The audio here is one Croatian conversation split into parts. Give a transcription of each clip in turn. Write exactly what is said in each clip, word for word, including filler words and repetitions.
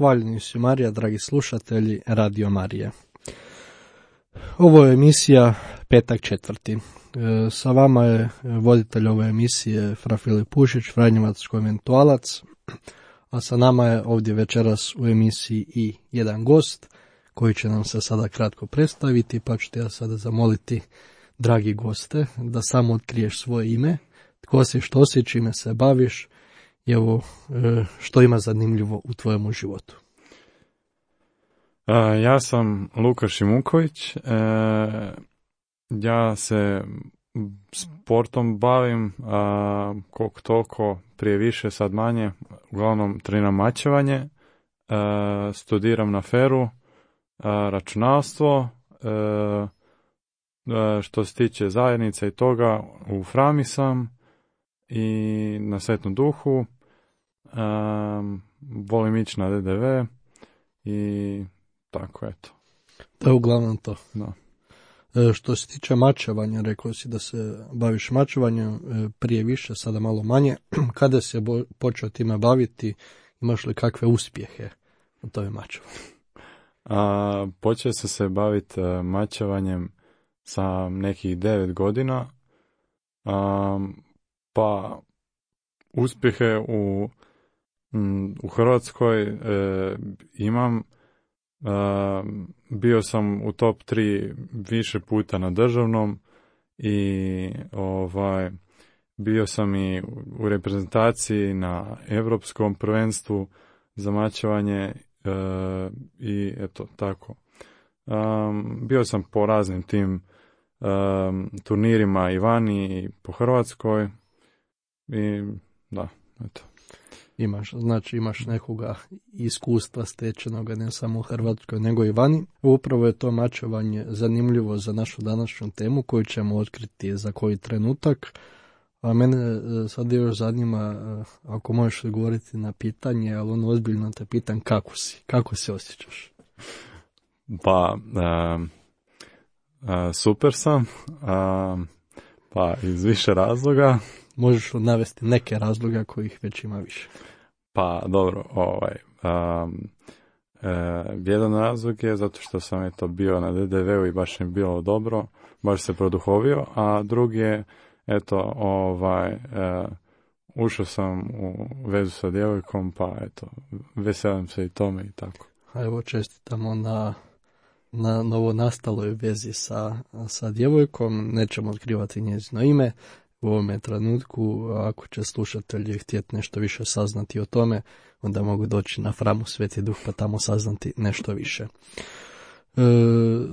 hvaljeni si Marija, dragi slušatelji Radio Marije. Ovo je emisija Petak četvrti. E, sa vama je voditelj ove emisije Fra Filip Pušić, Franjevac konventualac, a sa nama je ovdje večeras u emisiji i jedan gost koji će nam se sada kratko predstaviti, pa ću te ja sada zamoliti, dragi goste, da samo otkriješ svoje ime, tko si, što si, čime se baviš i evo što ima zanimljivo u tvojemu životu. Ja sam Luka Šimuković, ja se sportom bavim koliko toliko, prije više, sad manje, uglavnom treniram mačevanje, studiram na Feru, računalstvo, što se tiče zajednice i toga, u Frami sam i na Svetom Duhu, volim ići na D D V i tako, eto. To je uglavnom to. Da. E, što se tiče mačevanja, rekao si da se baviš mačevanjem, e, prije više, sada malo manje. Kada se bo- počeo time baviti, imaš li kakve uspjehe u tome mačevanju? A, počeo sam se baviti uh, mačevanjem sa nekih devet godina, a, pa uspjehe u, m, u Hrvatskoj e, imam. Uh, bio sam u top tri više puta na državnom i ovaj bio sam i u reprezentaciji na europskom prvenstvu za mačevanje uh, i eto tako. Um, bio sam po raznim tim um, turnirima i vani i po Hrvatskoj i da, eto. Imaš, znači imaš nekoga iskustva stečenoga ne samo u Hrvatskoj nego i vani. Upravo je to mačevanje zanimljivo za našu današnju temu koju ćemo otkriti za koji trenutak. A mene sad još zanima, ako možeš odgovoriti na pitanje, ali ono ozbiljno te pitam, kako si? Kako se osjećaš? Pa, uh, uh, super sam, uh, pa iz više razloga. Možeš navesti neke razloga kojih već ima više. Pa dobro, ovaj, um, e, jedan razlog je zato što sam eto bio na D D V-u i baš mi bilo dobro, baš se produhovio, a drugi je eto ovaj, e, ušao sam u vezu sa djevojkom, pa eto veselim se i tome i tako. A evo čestitamo na, na novonastaloj vezi sa, sa djevojkom, nećemo otkrivati njezino ime u ovome trenutku. Ako će slušatelji htjeti nešto više saznati o tome, onda mogu doći na Framu Sveti Duh pa tamo saznati nešto više. E,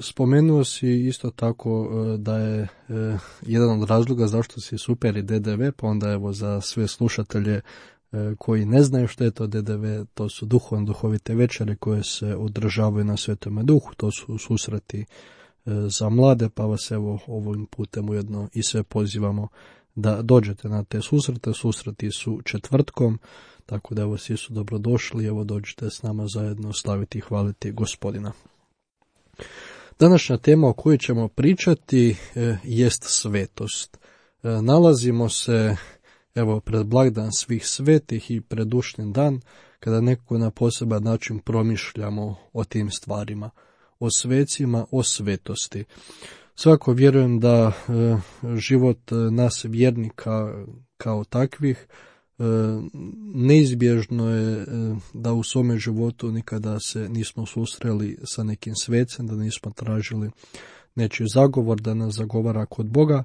spomenuo si isto tako da je e, jedan od razloga zašto si super i D D V, pa onda evo za sve slušatelje e, koji ne znaju što je to D D V, to su duhovne duhovite večere koje se održavaju na Svetome Duhu, to su susreti e, za mlade, pa vas evo ovim putem ujedno i sve pozivamo da dođete na te susrete. Susreti su četvrtkom, tako da evo svi su dobrodošli, evo dođite s nama zajedno slaviti i hvaliti Gospodina. Današnja tema o kojoj ćemo pričati e, jest svetost. E, nalazimo se evo pred blagdan svih svetih i pred ušni dan, kada nekako na poseban način promišljamo o tim stvarima, o svecima, o svetosti. Svako vjerujem da e, život nas vjernika kao takvih e, neizbježno je e, da u svome životu nikada se nismo susreli sa nekim svecem, da nismo tražili nečiji zagovor, da nas zagovara kod Boga.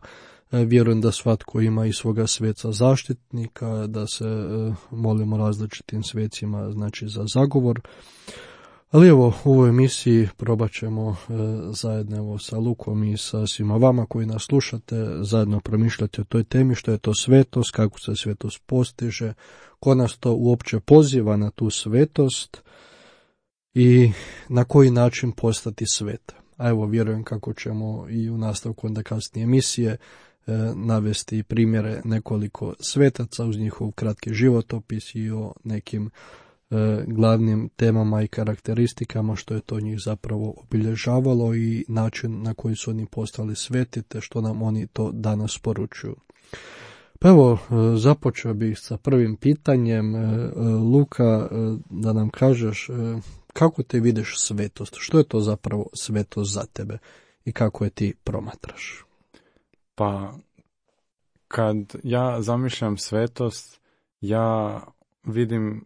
E, vjerujem da svatko ima i svoga sveca zaštitnika, da se e, molimo različitim svecima, znači za zagovor. Ali evo, u ovoj emisiji probat ćemo e, zajedno evo, sa Lukom i sa svima vama koji nas slušate, zajedno promišljati o toj temi, što je to svetost, kako se svetost postiže, ko nas to uopće poziva na tu svetost i na koji način postati svet. A evo, vjerujem kako ćemo i u nastavku onda kasnije emisije e, navesti primjere nekoliko svetaca uz njihov kratki životopis i o nekim glavnim temama i karakteristikama što je to njih zapravo obilježavalo i način na koji su oni postali sveti te što nam oni to danas poručuju. Pa evo, započeo bih sa prvim pitanjem. Luka, da nam kažeš kako te vidiš svetost? Što je to zapravo svetost za tebe i kako je ti promatraš? Pa, kad ja zamišljam svetost, ja vidim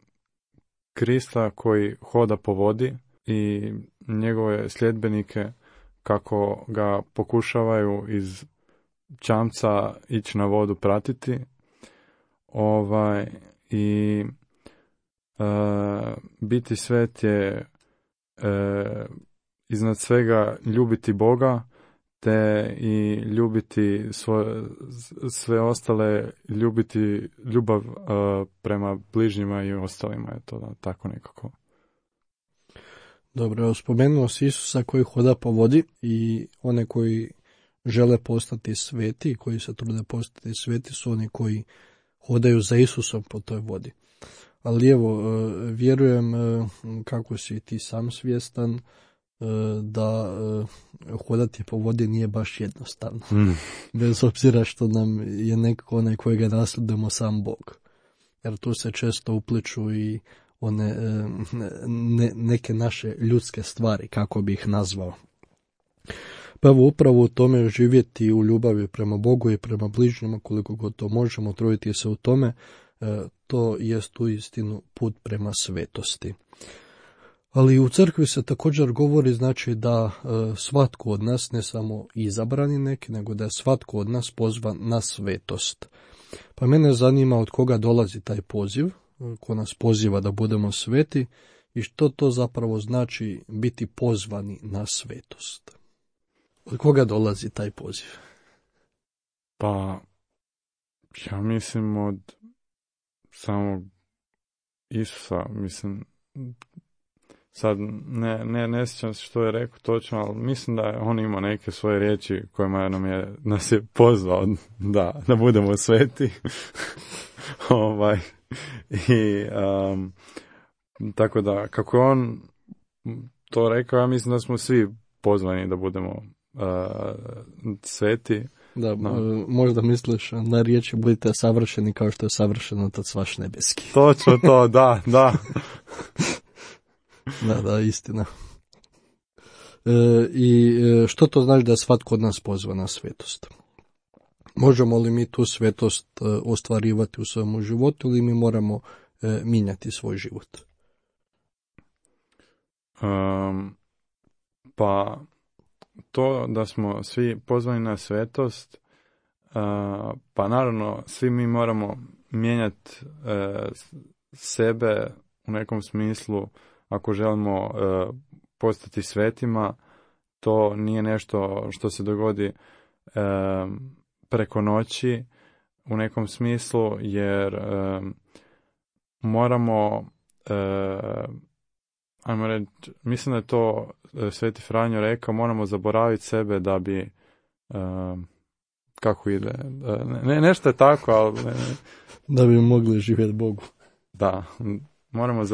Krista koji hoda po vodi i njegove sljedbenike kako ga pokušavaju iz čamca ići na vodu pratiti. Ovaj, i e, biti svet je e, iznad svega ljubiti Boga, te i ljubiti svoje, sve ostale, ljubiti ljubav uh, prema bližnjima i ostalima, je to da, tako nekako. Dobro, spomenuo si Isusa koji hoda po vodi i one koji žele postati sveti, koji se trude postati sveti su oni koji hodaju za Isusom po toj vodi. Ali evo, vjerujem kako si ti sam svjestan da hodati po vodi nije baš jednostavno. Mm. Bez obzira što nam je nekako onaj kojega nasljedujemo sam Bog. Jer tu se često upliču i one ne, neke naše ljudske stvari, kako bi ih nazvao. Pa evo, upravo u tome živjeti u ljubavi prema Bogu i prema bližnjima, koliko god to možemo, truditi se u tome, to jest uistinu put prema svetosti. Ali u crkvi se također govori, znači, da e, svatko od nas, ne samo izabrani neki, nego da je svatko od nas pozvan na svetost. Pa mene zanima od koga dolazi taj poziv, ko nas poziva da budemo sveti i što to zapravo znači biti pozvani na svetost. Od koga dolazi taj poziv? Pa, ja mislim od samog Isusa, mislim... Sad ne, ne, ne sjećam se što je rekao točno, ali mislim da je on imao neke svoje riječi kojima nam je, nas je pozvao da, da budemo sveti. ovaj, i, um, tako da, kako je on to rekao, ja mislim da smo svi pozvani da budemo uh, sveti. Da, no. Možda misliš na riječi budite savršeni kao što je savršen Otac vaš nebeski. Točno to, da, da. Da, da, istina. E, I što to znači da je svatko od nas pozva na svetost? Možemo li mi tu svetost e, ostvarivati u svojemu životu ili mi moramo e, mijenjati svoj život? Um, pa to da smo svi pozvani na svetost, uh, pa naravno svi mi moramo mijenjati uh, sebe u nekom smislu. Ako želimo uh, postati svetima, to nije nešto što se dogodi uh, preko noći u nekom smislu, jer uh, moramo, uh, ajmo reći, mislim da je to uh, Sveti Franjo rekao, moramo zaboraviti sebe da bi, uh, kako ide, uh, ne, nešto je tako, ali... Ne, da bi mogli živjeti Bogu. Da, moramo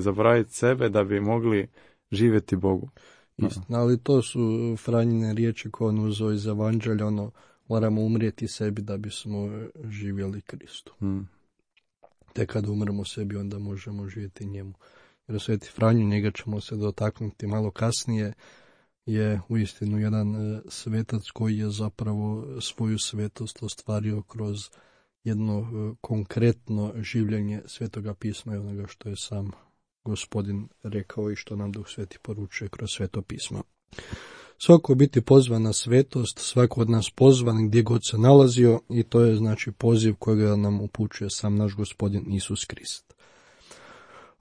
zaboraviti sebe da bi mogli živjeti Bogu. Istina, ali to su Franjine riječi koje on uzeo iz Evanđelja, ono, moramo umrijeti sebi da bismo živjeli Kristu. Hmm. Te kada umremo sebi, onda možemo živjeti njemu. Jer Sveti Franjo, njega ćemo se dotaknuti malo kasnije, je uistinu jedan svetac koji je zapravo svoju svetost ostvario kroz jedno konkretno življenje Svetoga pisma i onoga što je sam Gospodin rekao i što nam Duh Sveti poručuje kroz Sveto pismo. Svako biti pozvan na svetost, svako od nas pozvan gdje god se nalazio i to je znači poziv kojega nam upućuje sam naš Gospodin Isus Krist.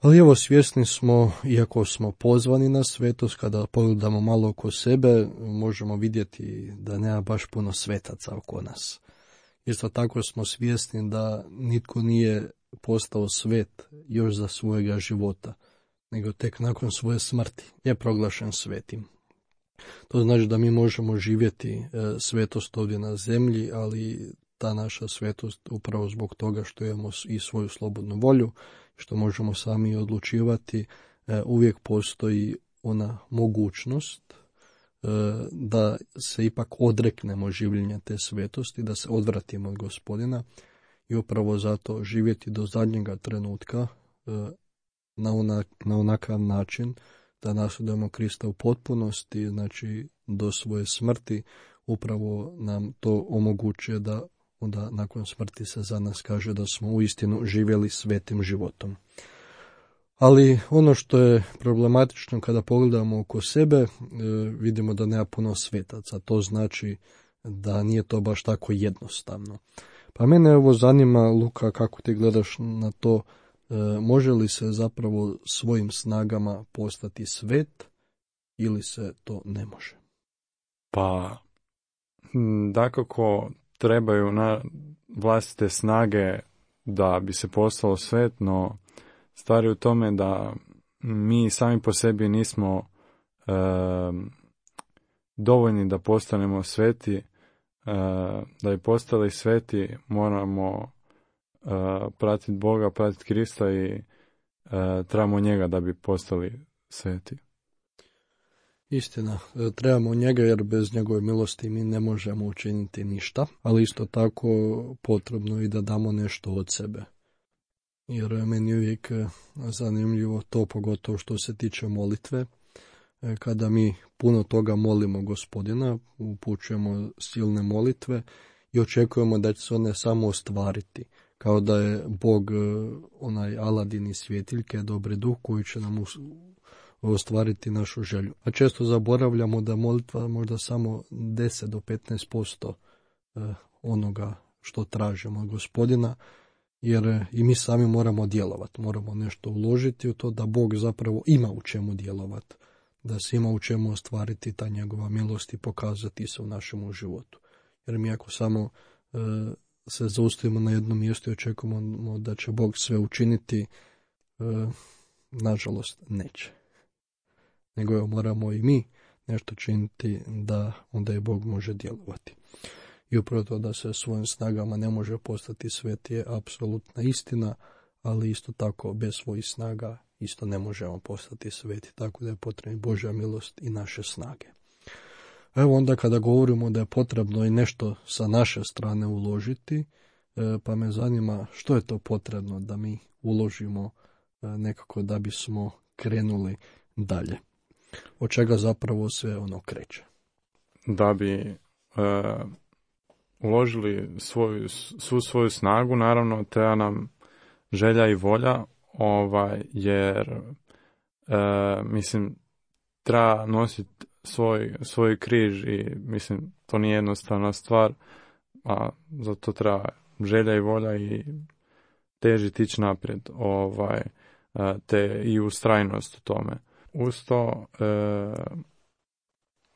Ali evo, svjesni smo, iako smo pozvani na svetost, kada pogledamo malo oko sebe, možemo vidjeti da nema baš puno svetaca oko nas. Isto tako smo svjesni da nitko nije postao svet još za svojega života, nego tek nakon svoje smrti je proglašen svetim. To znači da mi možemo živjeti e, svetost ovdje na zemlji, ali ta naša svetost upravo zbog toga što imamo i svoju slobodnu volju, što možemo sami odlučivati, e, uvijek postoji ona mogućnost da se ipak odreknemo življenja te svetosti, da se odvratimo od Gospodina i upravo zato živjeti do zadnjega trenutka na, onak, na onakav način da nasledujemo Krista u potpunosti, znači do svoje smrti, upravo nam to omogućuje da onda nakon smrti se za nas kaže da smo uistinu živjeli svetim životom. Ali ono što je problematično kada pogledamo oko sebe, e, vidimo da nema puno svetaca. To znači da nije to baš tako jednostavno. Pa mene evo zanima, Luka, kako ti gledaš na to, e, može li se zapravo svojim snagama postati svet ili se to ne može? Pa, dakako trebaju na vlastite snage da bi se postalo svet, no stvar je u tome da mi sami po sebi nismo e, dovoljni da postanemo sveti. E, da bi postali sveti moramo e, pratiti Boga, pratiti Krista i e, trebamo njega da bi postali sveti. Istina, trebamo njega jer bez njegove milosti mi ne možemo učiniti ništa, ali isto tako potrebno i da damo nešto od sebe. Jer meni je uvijek zanimljivo to, pogotovo što se tiče molitve, kada mi puno toga molimo Gospodina, upućujemo silne molitve i očekujemo da će se one samo ostvariti, kao da je Bog onaj Aladin iz svjetiljke, dobri duh koji će nam ostvariti našu želju. A često zaboravljamo da molitva možda samo deset do petnaest posto onoga što tražimo od Gospodina, jer i mi sami moramo djelovati, moramo nešto uložiti u to da Bog zapravo ima u čemu djelovati, da se ima u čemu ostvariti ta njegova milost i pokazati se u našem životu. Jer mi ako samo e, se zaustavimo na jednom mjestu i očekujemo da će Bog sve učiniti, e, nažalost neće. Nego je moramo i mi nešto činiti da onda i Bog može djelovati. I upravo to da se svojim snagama ne može postati svet je apsolutna istina, ali isto tako bez svojih snaga isto ne možemo postati sveti, tako da je potrebna Božja milost i naše snage. Evo onda kada govorimo da je potrebno i nešto sa naše strane uložiti, pa me zanima što je to potrebno da mi uložimo nekako da bismo krenuli dalje. Od čega zapravo sve ono kreće? Da bi uh... uložili svoju, svu svoju snagu, naravno treba nam želja i volja, ovaj, jer e, mislim treba nositi svoj, svoj križ i mislim to nije jednostavna stvar, a zato treba želja i volja i težiti ići naprijed, ovaj, te i ustrajnost u tome. Uz to e,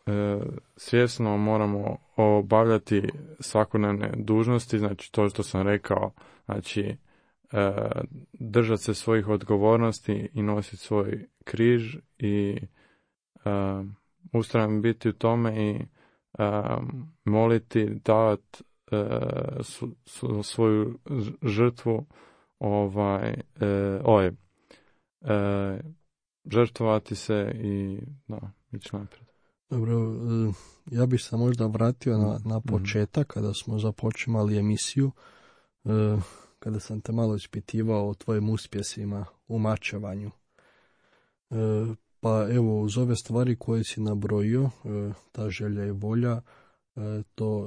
e, svjesno moramo obavljati svakodnevne dužnosti, znači to što sam rekao, znači e, držati se svojih odgovornosti i nositi svoj križ i e, ustrajan biti u tome i e, moliti, davati e, su, su, svoju žrtvu, ovaj, e, oj, e, žrtvovati se i da, ići naprijed. Dobro, ja bih se možda vratio na, na početak, kada smo započimali emisiju, kada sam te malo ispitivao o tvojim uspjesima u mačevanju. Pa evo, uz ove stvari koje si nabrojio, ta želja i volja, to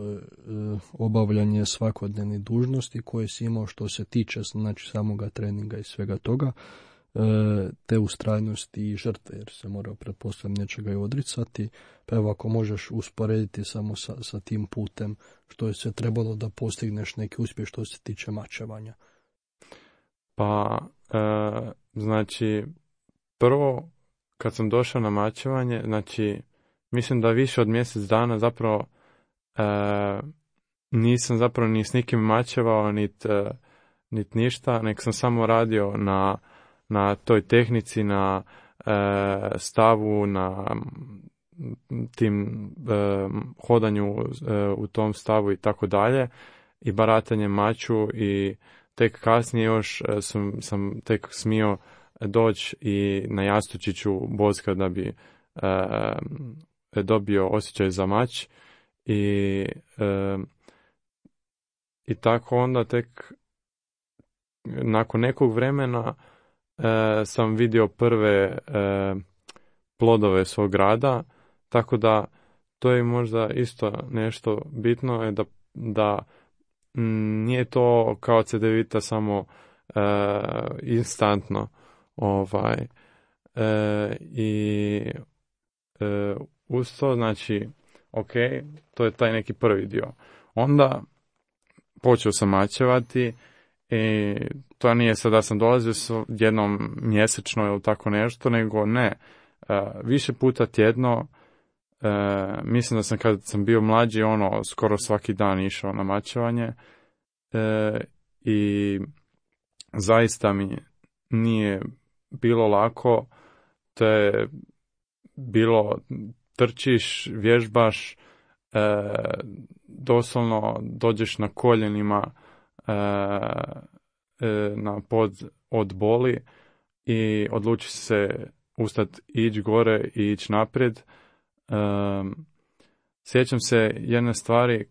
obavljanje svakodnevnih dužnosti koje si imao što se tiče znači samoga treninga i svega toga, te ustrajnosti i žrtve, jer se mora pretpostavljati nečega i odricati. Pa evo, ako možeš usporediti samo sa, sa tim putem što je sve trebalo da postigneš neki uspjeh što se tiče mačevanja. Pa, e, znači, prvo kad sam došao na mačevanje, znači, mislim da više od mjesec dana zapravo e, nisam zapravo ni s nikim mačevao, nit, e, nit ništa, nek sam samo radio na na toj tehnici, na e, stavu, na tim e, hodanju e, u tom stavu i tako dalje, i baratanje maču, i tek kasnije još e, sam, sam tek smio doći i na jastučiću boska da bi e, dobio osjećaj za mač i, e, i tako onda tek nakon nekog vremena e, sam vidio prve e, plodove svog rada, tako da to je možda isto nešto bitno, je da, da m, nije to kao Cedevita samo e, instantno, ovaj, e, i e, uz to, znači, ok, to je taj neki prvi dio. Onda počeo sam mačevati i to nije sad da sam dolazio s jednom mjesečno ili tako nešto, nego ne, e, više puta tjedno. E, mislim da sam kad sam bio mlađi, ono, skoro svaki dan išao na mačevanje e, i zaista mi nije bilo lako. To je bilo, trčiš, vježbaš, e, doslovno dođeš na koljenima e, e, na pod od boli i odlučiš se ustati, ići gore i ići naprijed. Um, sjećam se jedne stvari,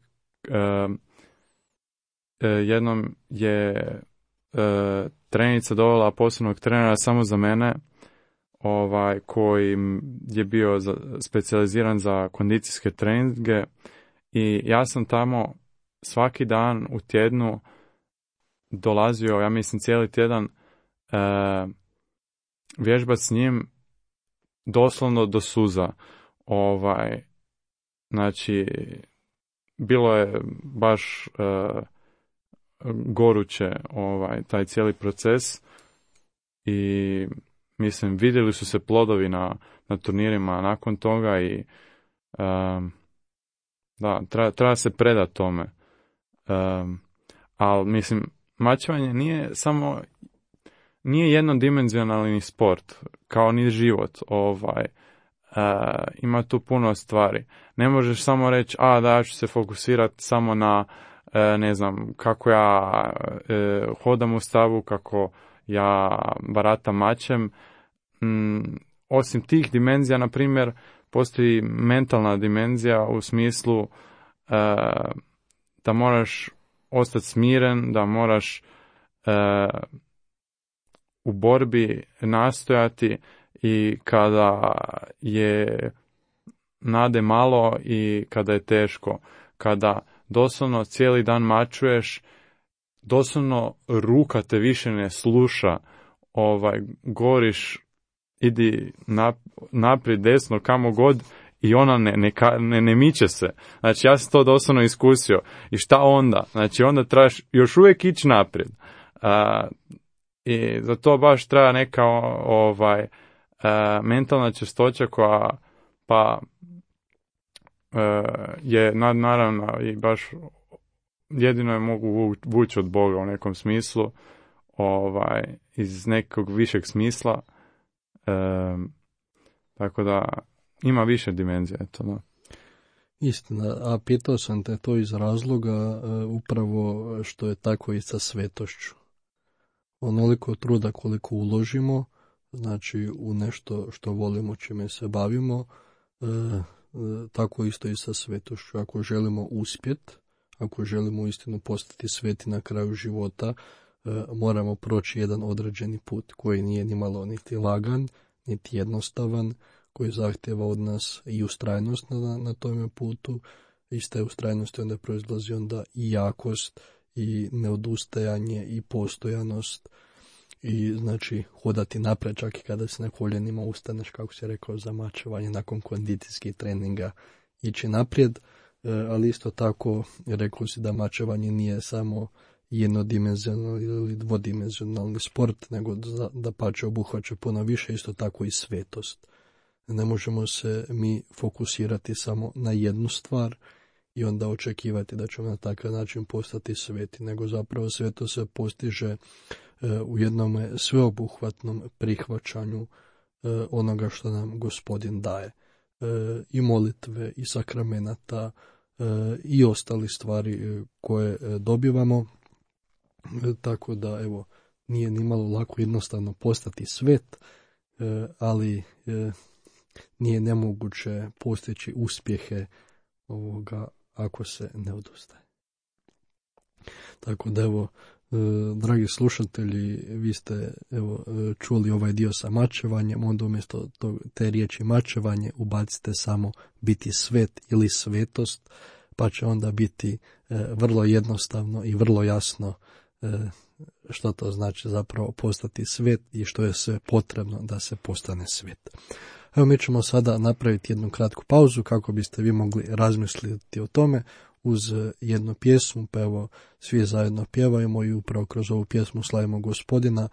um, jednom je uh, trenica dovela posebnog trenera samo za mene, ovaj, koji je bio za, specijaliziran za kondicijske treninge, i ja sam tamo svaki dan u tjednu dolazio, ja mislim cijeli tjedan, uh, vježbati s njim doslovno do suza. Ovaj, znači, bilo je baš uh, goruće, ovaj, taj cijeli proces, i mislim, vidjeli su se plodovi na, na turnirima nakon toga i um, da, treba, treba se predati tome. Um, ali, mislim, mačevanje nije samo, nije jednodimenzionalni sport, kao ni život, ovaj, Uh, ima tu puno stvari. Ne možeš samo reći, a da, ja ću se fokusirati samo na, uh, ne znam, kako ja uh, hodam u stavu, kako ja baratam mačem. Mm, osim tih dimenzija, na primjer, postoji mentalna dimenzija u smislu uh, da moraš ostati smiren, da moraš uh, u borbi nastojati, i kada je nade malo i kada je teško, kada doslovno cijeli dan mačuješ, doslovno ruka te više ne sluša, ovaj, goriš, idi nap, naprijed, desno, kamo god, i ona ne, ne, ne, ne miče se. Znači, ja sam to doslovno iskusio. I šta onda? Znači, onda trebaš još uvijek ići naprijed. A, i za to baš treba neka ovaj, a, mentalna čistoća koja pa a, je nad, naravno i baš jedino je mogu vući od Boga u nekom smislu, ovaj, iz nekog višeg smisla. E, tako da ima više dimenzija, eto, da. Istina, a pitao sam te to iz razloga uh, upravo što je tako i sa svetošću. Onoliko truda koliko uložimo, znači u nešto što volimo, čime se bavimo, uh, uh, tako isto i sa svetošću. Ako želimo uspjeti, ako želimo istinu postati sveti na kraju života, uh, moramo proći jedan određeni put koji nije ni malo niti lagan, niti jednostavan, koji zahtjeva od nas i ustrajnost na, na tome putu. Iz te ustrajnosti onda proizlazi onda i jakost, i neodustajanje, i postojanost, i znači hodati naprijed čak i kada se na koljenima ustaneš, kako si rekao, za mačevanje nakon kondicijskih treninga, ići naprijed, e, ali isto tako rekao si da mačevanje nije samo jednodimenzionalni ili dvodimenzionalni sport, nego da, da pače obuhvaća puno više, isto tako i svetost. Ne možemo se mi fokusirati samo na jednu stvar i onda očekivati da ćemo na takav način postati sveti, nego zapravo sveto se postiže e, u jednom sveobuhvatnom prihvaćanju e, onoga što nam Gospodin daje. E, I molitve, i sakramenata, e, i ostali stvari koje e, dobivamo. E, tako da, evo, nije ni malo lako jednostavno postati svet, e, ali e, nije nemoguće postići uspjehe ovoga ako se ne odustaje. Tako da, evo, dragi slušatelji, vi ste evo, čuli ovaj dio sa mačevanjem, onda umjesto to, te riječi mačevanje ubacite samo biti svet ili svetost, pa će onda biti e, vrlo jednostavno i vrlo jasno e, što to znači zapravo postati svet i što je sve potrebno da se postane svet. Evo, mi ćemo sada napraviti jednu kratku pauzu kako biste vi mogli razmisliti o tome uz jednu pjesmu, pa evo svi zajedno pjevajmo i upravo kroz ovu pjesmu slavimo Gospodina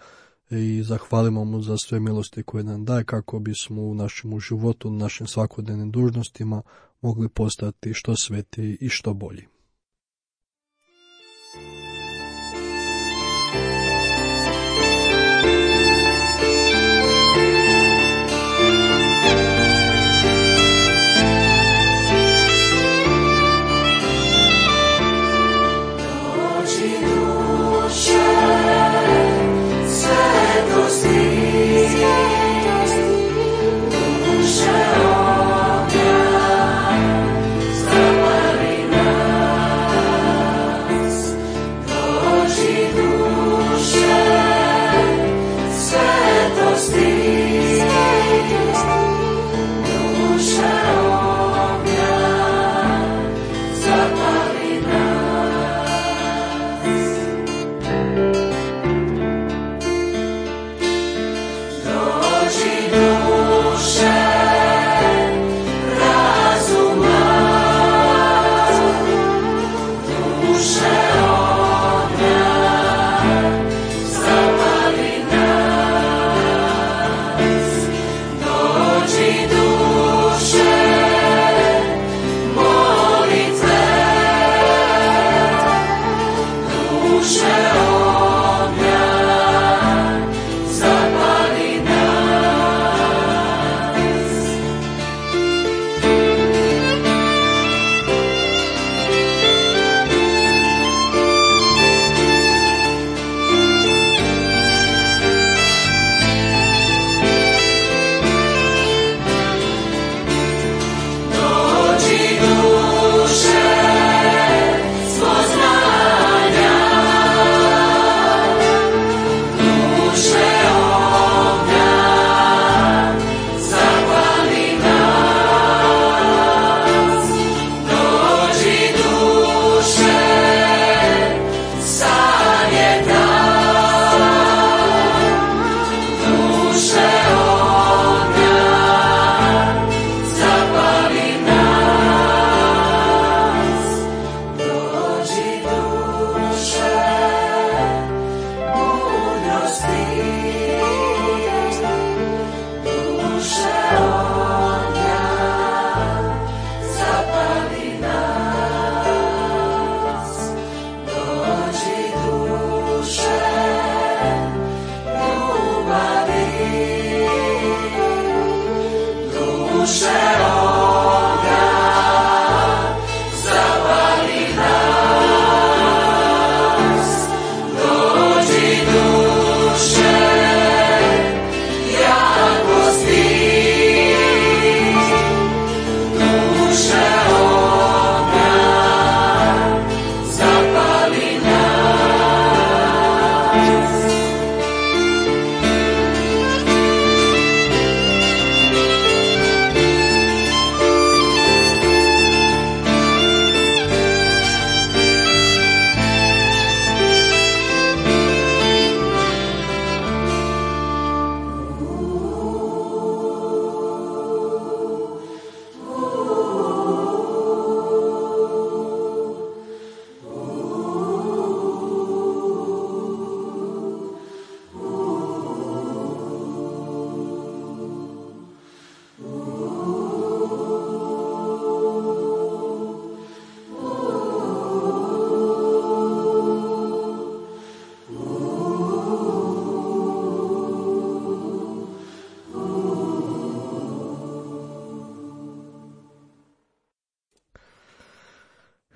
i zahvalimo mu za sve milosti koje nam daje kako bismo u našem životu, u našim svakodnevnim dužnostima mogli postati što svetiji i što bolji.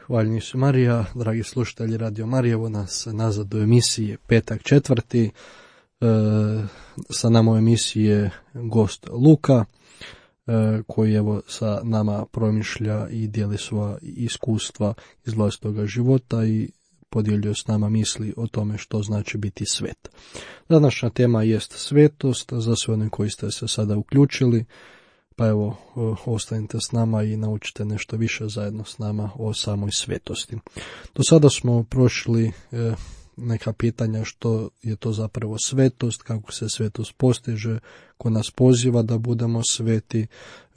Hvaljeni su Marija, dragi slušatelji Radio Marije, evo nas nazad u emisiji Petak četvrti. E, sa nama u emisiji je gost Luka, e, koji evo sa nama promišlja i dijeli svoja iskustva iz vlastitoga života i podijelio s nama misli o tome što znači biti svet. Današnja tema jest svetost, za sve one koji ste se sada uključili, pa evo, ostanite s nama i naučite nešto više zajedno s nama o samoj svetosti. Do sada smo prošli neka pitanja što je to zapravo svetost, kako se svetost postiže, ko nas poziva da budemo sveti,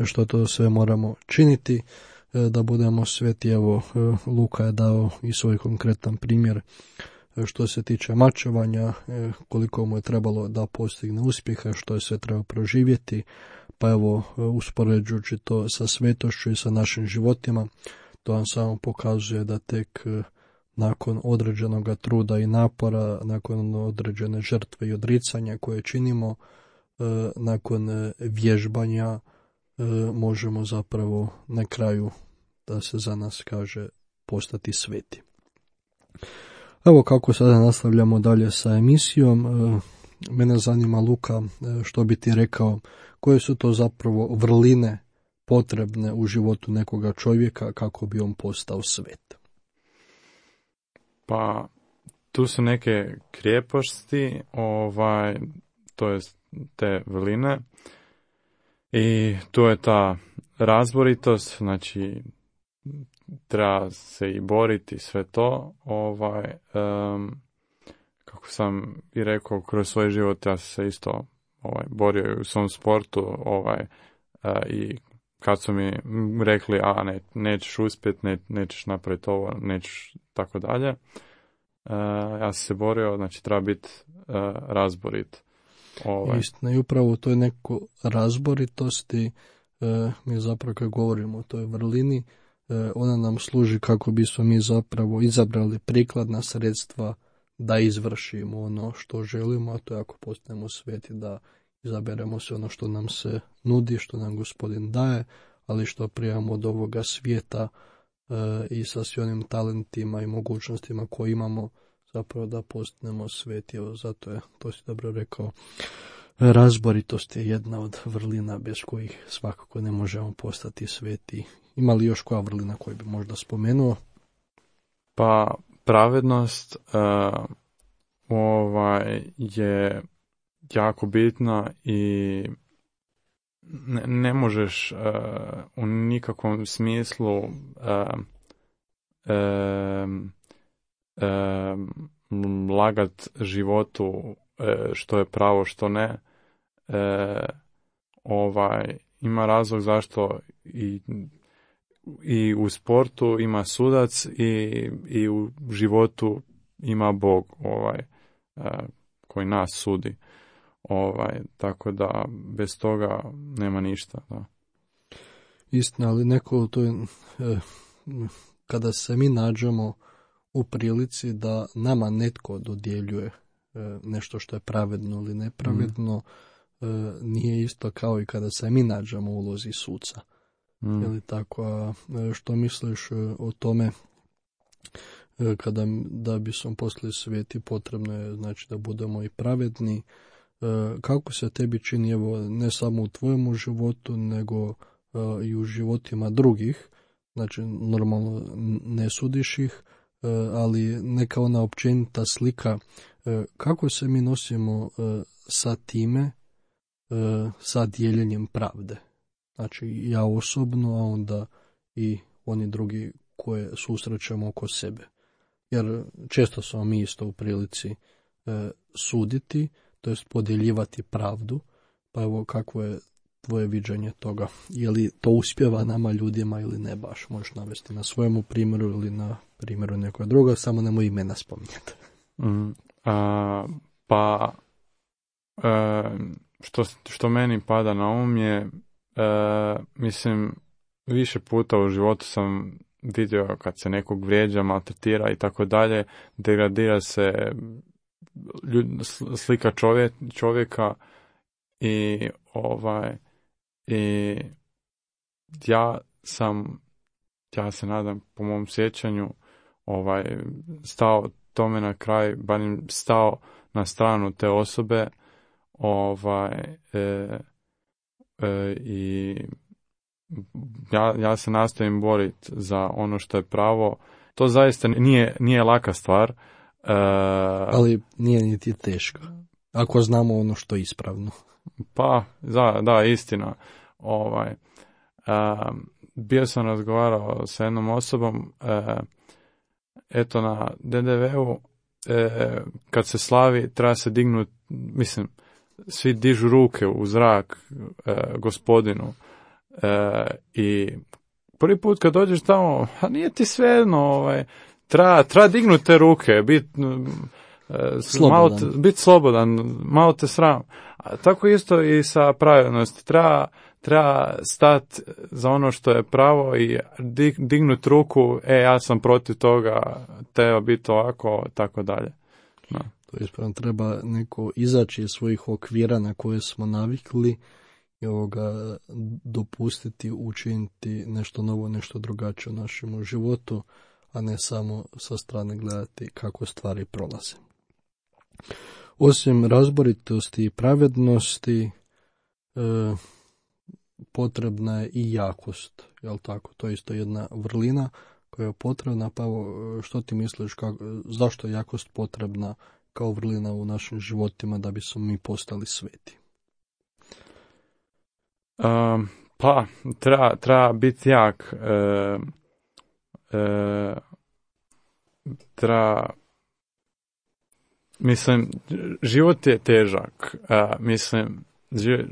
što to sve moramo činiti da budemo sveti. Evo, Luka je dao i svoj konkretan primjer što se tiče mačevanja, koliko mu je trebalo da postigne uspjeha, što je sve trebao proživjeti, pa evo, uspoređujući to sa svetošću i sa našim životima, to vam samo pokazuje da tek nakon određenog truda i napora, nakon određene žrtve i odricanja koje činimo, nakon vježbanja, možemo zapravo na kraju, da se za nas kaže, postati sveti. Evo kako sada nastavljamo dalje sa emisijom. Mene zanima, Luka, što bi ti rekao, koje su to zapravo vrline potrebne u životu nekoga čovjeka kako bi on postao svet? Pa, tu su neke krijeposti, ovaj, to je te vrline, i tu je ta razboritost, znači treba se i boriti sve to, ovaj, um, kako sam i rekao, kroz svoj život ja sam se isto ovaj, borio u svom sportu, ovaj, uh, i kad su mi rekli, a ne, nećeš uspjeti, ne, nećeš napraviti ovo, nećeš tako dalje, uh, ja sam se borio, znači treba biti uh, razborit. Ovaj. Istina, i upravo u toj neko razboritosti uh, mi zapravo kad govorimo o toj vrlini, uh, ona nam služi kako bismo mi zapravo izabrali prikladna sredstva da izvršimo ono što želimo, a to je ako postanemo sveti, da izaberemo se ono što nam se nudi, što nam Gospodin daje, ali što prijemamo od ovoga svijeta e, i sa svim onim talentima i mogućnostima koje imamo, zapravo da postanemo sveti. Evo, zato je, to si dobro rekao, razboritost je jedna od vrlina bez kojih svakako ne možemo postati sveti. Ima li još koja vrlina koju bi možda spomenuo? Pa pravednost uh, ovaj, je jako bitna i ne, ne možeš uh, u nikakvom smislu uh, um, um, lagat životu uh, što je pravo, što ne. Uh, ovaj, ima razlog zašto i, i u sportu ima sudac i, i u životu ima Bog, ovaj, uh, koji nas sudi. Ovaj, tako da bez toga nema ništa. Da. Istina, ali neko to je, eh, kada se mi nađemo u prilici da nama netko dodjeljuje eh, nešto što je pravedno ili nepravedno, mm. eh, nije isto kao i kada se mi nađemo u ulozi suca. Mm. Ili tako, a što misliš o tome, kada da bismo postali sveti, potrebno je znači da budemo i pravedni. Kako se tebi čini, evo, ne samo u tvojemu životu, nego uh, i u životima drugih, znači normalno ne sudiš ih, uh, ali neka ona općenita slika, uh, kako se mi nosimo uh, sa time, uh, sa dijeljenjem pravde. Znači ja osobno, a onda i oni drugi koje susrećemo oko sebe. Jer često smo mi isto u prilici uh, suditi, to jest podjeljivati pravdu, pa evo kakvo je tvoje viđenje toga, je li to uspjeva nama ljudima ili ne baš, možeš navesti na svojemu primjeru ili na primjeru nekoga druga, samo nemoj imena spominjati. Mm, a, pa e, što, što meni pada na um je, e, mislim, više puta u životu sam vidio kad se nekog vrijeđa, maltretira i tako dalje, degradira se ljud, slika čovjek, čovjeka i ovaj i ja sam ja se nadam po mom sjećanju ovaj stao tome na kraj, barem stao na stranu te osobe, ovaj e, e, i ja, ja se nastojim boriti za ono što je pravo to zaista nije, nije laka stvar. Uh, Ali nije niti teško, ako znamo ono što je ispravno. Pa, da, da, istina. Ovaj, uh, bio sam razgovarao sa jednom osobom, uh, eto na de de veu, uh, kad se slavi, treba se dignuti, mislim, svi dižu ruke u zrak uh, gospodinu. Uh, I prvi put kad dođeš tamo, a nije ti svejedno, ovaj, treba, treba dignuti te ruke, biti Malo biti slobodan, malo te sram. A tako isto i sa pravednosti. Treba, treba stati za ono što je pravo i dig, dignuti ruku, e, ja sam protiv toga, treba biti ovako, tako dalje. No. To je ispravno, treba neko izaći iz svojih okvira na koje smo navikli i ovoga dopustiti, učiniti nešto novo, nešto drugačije u našem životu, a ne samo sa strane gledati kako stvari prolaze. Osim razboritosti i pravednosti, e, potrebna je i jakost, jel tako? To je isto jedna vrlina koja je potrebna, pa što ti misliš, kako, zašto je jakost potrebna kao vrlina u našim životima da bismo mi postali sveti? Um, pa, treba, treba biti jak, e, e, treba, mislim, život je težak, uh, mislim, život,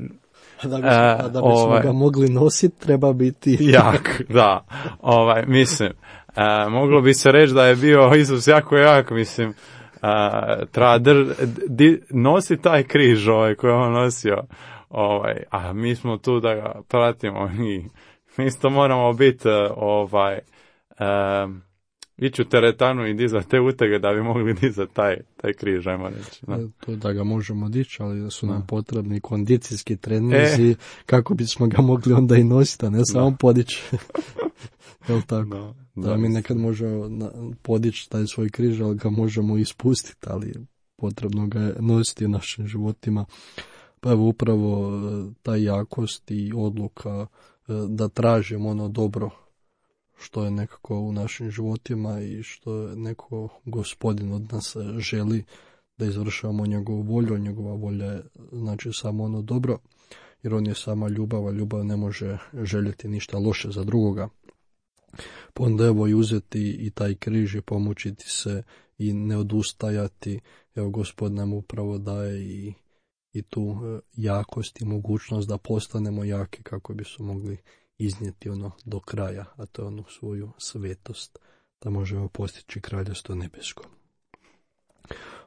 da bismo, a da bismo ovaj, ga mogli nositi, treba biti jak, da, ovaj, mislim, uh, moglo bi se reći da je bio Isus jako jak, mislim, uh, treba dr, di, nosi taj križ ovaj, koji je on nosio, ovaj, a mi smo tu da ga pratimo i mi isto moramo biti uh, ovaj, uh, ići u teretanu i dizati te utege da bi mogli dizati taj, taj križ, ajmo reći. Da. To da ga možemo dići, ali da su nam da. potrebni kondicijski treninzi, e. kako bismo ga mogli onda i nositi, a ne samo podići. Jel tako? Da, da, da mi nekad možemo podići taj svoj križ, ali ga možemo ispustiti, ali potrebno ga je nositi u našim životima. Pa evo upravo ta jakost i odluka da tražimo ono dobro što je nekako u našim životima i što je neko Gospodin od nas želi da izvršavamo njegovu volju, njegova volja je znači samo ono dobro, jer on je sama ljubav, a ljubav ne može željeti ništa loše za drugoga. Pa onda evo i uzeti i taj križ i pomučiti se i ne odustajati, evo Gospod nam upravo daje i, i tu jakost i mogućnost da postanemo jaki kako bismo mogli iznijeti ono do kraja, a to je onu svoju svetost, da možemo postići kraljevstvo nebesko.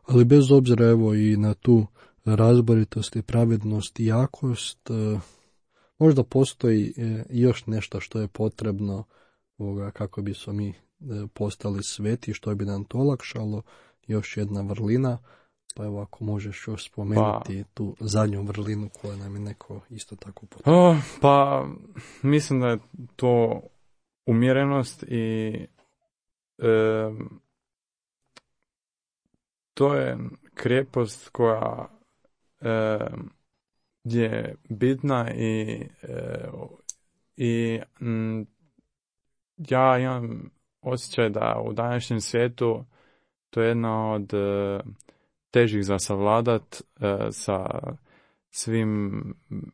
Ali bez obzira evo i na tu razboritost i pravednost i jakost, možda postoji još nešto što je potrebno kako bismo mi postali sveti, što bi nam to olakšalo, još jedna vrlina. Pa evo ako možeš još spomenuti pa, tu zadnju vrlinu koju nam je neko isto tako potrebno. Oh, pa mislim da je to umjerenost i e, to je krijepost koja e, je bitna i, e, i m, ja imam osjećaj da u današnjem svijetu to je jedna od e, težih za savladat e, sa svim